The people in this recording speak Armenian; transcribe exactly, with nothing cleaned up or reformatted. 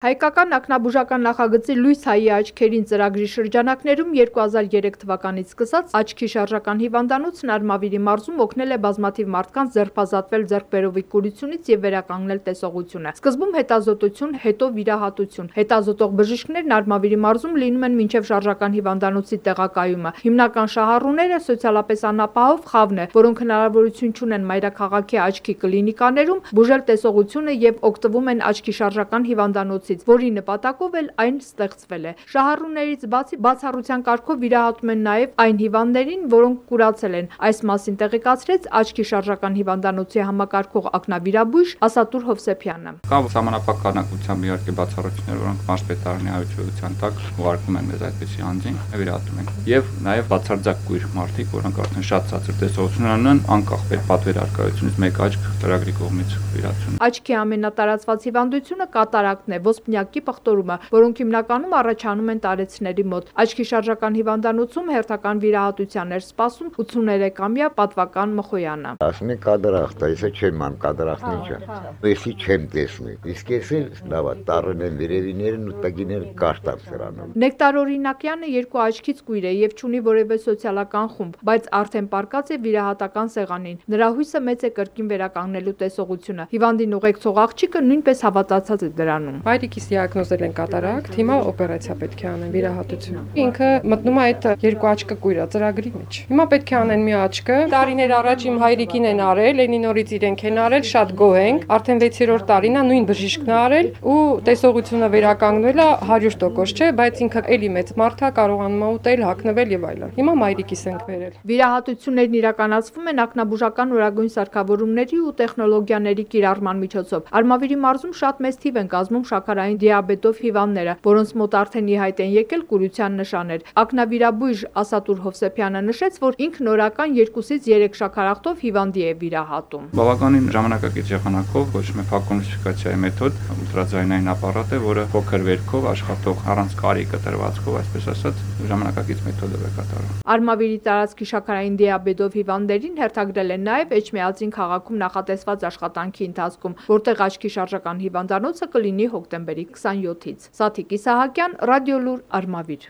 Հայկական ակնաբուժական նախագծի «Լույս հայի աչքերին» ծրագրի շրջանակներում երկու հազար երեք թվականից սկսած աչքի շարժական հիվանդանոցն Արմավիրի մարզում օգնել է բազմաթիվ մարդկանց ձերբազատվել ձեռքբերովի կուրությունից և վերականգնել տեսողությունը։ Սկզբում հետազոտություն, հետո վիրահատություն։ Հետազոտող բժիշկներն Արմավիրի մարզում լինում են մինչև շարժական հիվանդանոցի տեղակայումը։ Հիմնական շահառուները սոցիալապես անապահով խավն է, որոնք հնարավորություն չունեն մայրաքաղաքի աչքի կլինիկաներում բուժել տեսողությունը և օգտվում են աչքի շարժական հիվանդանոցից, որի նպատակով էլ այն ստեղծվել է։ Շահառուներից բացի բացառության կարգով վիրահատում են նաև այն հիվանդներին, որոնք կուրացել են։ Այս մասին տեղեկացրեց աչքի շարժական հիվանդանոցի համակարգող ակնավիրաբույժ Ասատուր Հովսեփյանը։ Կա սահմանափակ քանակությամբ իհարկե բացառություններ, որոնք մարզպետարանի այցելության տակ ուղարկում են մեզ այդպիսի անձին, վիրահատում ենք։ Եվ նաև բացարձակ կույր մարդիկ, որոնք արդեն շատ ցածր տեսողություն ունեն, անկախ պատվեր առկայությունից մեկ աչք ծրագրի կողմից վիրահատություն։ Աչքի ամենատարածված հիվանդությունը կատարակտն է, ոսպնյակի պղտորումը, որոնք հիմնականում առաջանում են տարեցների մոտ։ Աչքի շարժական հիվանդանոցում հերթական վիրահատության էր սպասում ութսուներեքամյա Պատվական Մխոյանը։ Ասում են կատարակտ է, ես չեմ ման կատարակտն ինչ է։ Ես չեմ տեսնում։ Իսկ ես էլ լավ է, տառն են վերևիներն ու տակիները կարտան սրանով։ Նեկտար Օրինակյանը երկու աչքից կույր է եւ չունի որևէ սոցիալական խումբ, բայց արդեն պարկած է վիրահատական սեղանին։ Նրա հույսը մեծ է կրկին վերականգնելու տեսողությունը։ Հիվանդին ուղեկցող աղջիկը նույնպես հավատացած է դրանում։ Հայրիկիս դիագնոզել են կատարակտ, հիմա օպերացիա պետք է անեն, վիրահատություն։ Ինքը մտնում է այդ երկու աչքը կույրա ծրագրի մեջ։ Հիմա պետք է անեն մի աչքը։ Տարիներ առաջ իմ հայրիկին են արել, Լենինորից իրենք են արել, շատ գոհ ենք։ Արդեն վեցերորդ տարին է, նույն բժիշկն է արել ու տեսողությունը վերականգնել է հարյուր տոկոս չէ, բայց ինքը էլի մեծ մարդ է, կարողանում է ուտել, հագնվել եւ այլն։ Հիմա մայրիկիս ենք վերել։ Վիրահատություններն իրականացվում են ակնաբուժական օրագույն սարքավորումների ու տեխնոլոգիաների կիրառման միջոցով։ Արմավիրի մարզում շատ մեծ թիվ են կազմում շաքարային դիաբետով հիվանդները, որոնց մոտ արդեն ի հայտ են եկել կուրության նշաններ։ Ակնավիրաբույժ Ասատուր Հովսեփյանը նշեց, որ ինքն օրական երկուսից երեք շաքարախտով հիվանդի է վիրահատում։ Բավականին ժամանակակից եղանակով կոչվում է ֆակոնիֆիկացիայի մեթոդ, ուլտրաձայնային ապարատ է, որը փոքր վերքով աշխատող առանց կարի կտրվածքով, այսպես ասած, ժամանակակից մեթոդով է կատարում։ Արմավիրի տարածքի շաքարային դիաբետով հիվանդներին հերթագրել են նաև Էջմիածին քաղաքում նախատեսված աշխատանքի ընթացքում, որտեղ աչքի շարժական հիվանդանոցը կլինի հոկտեմբերի քսաներկուից։ Սաթիկ Իսահակյան, Ռադիոլուր, Արմավիր։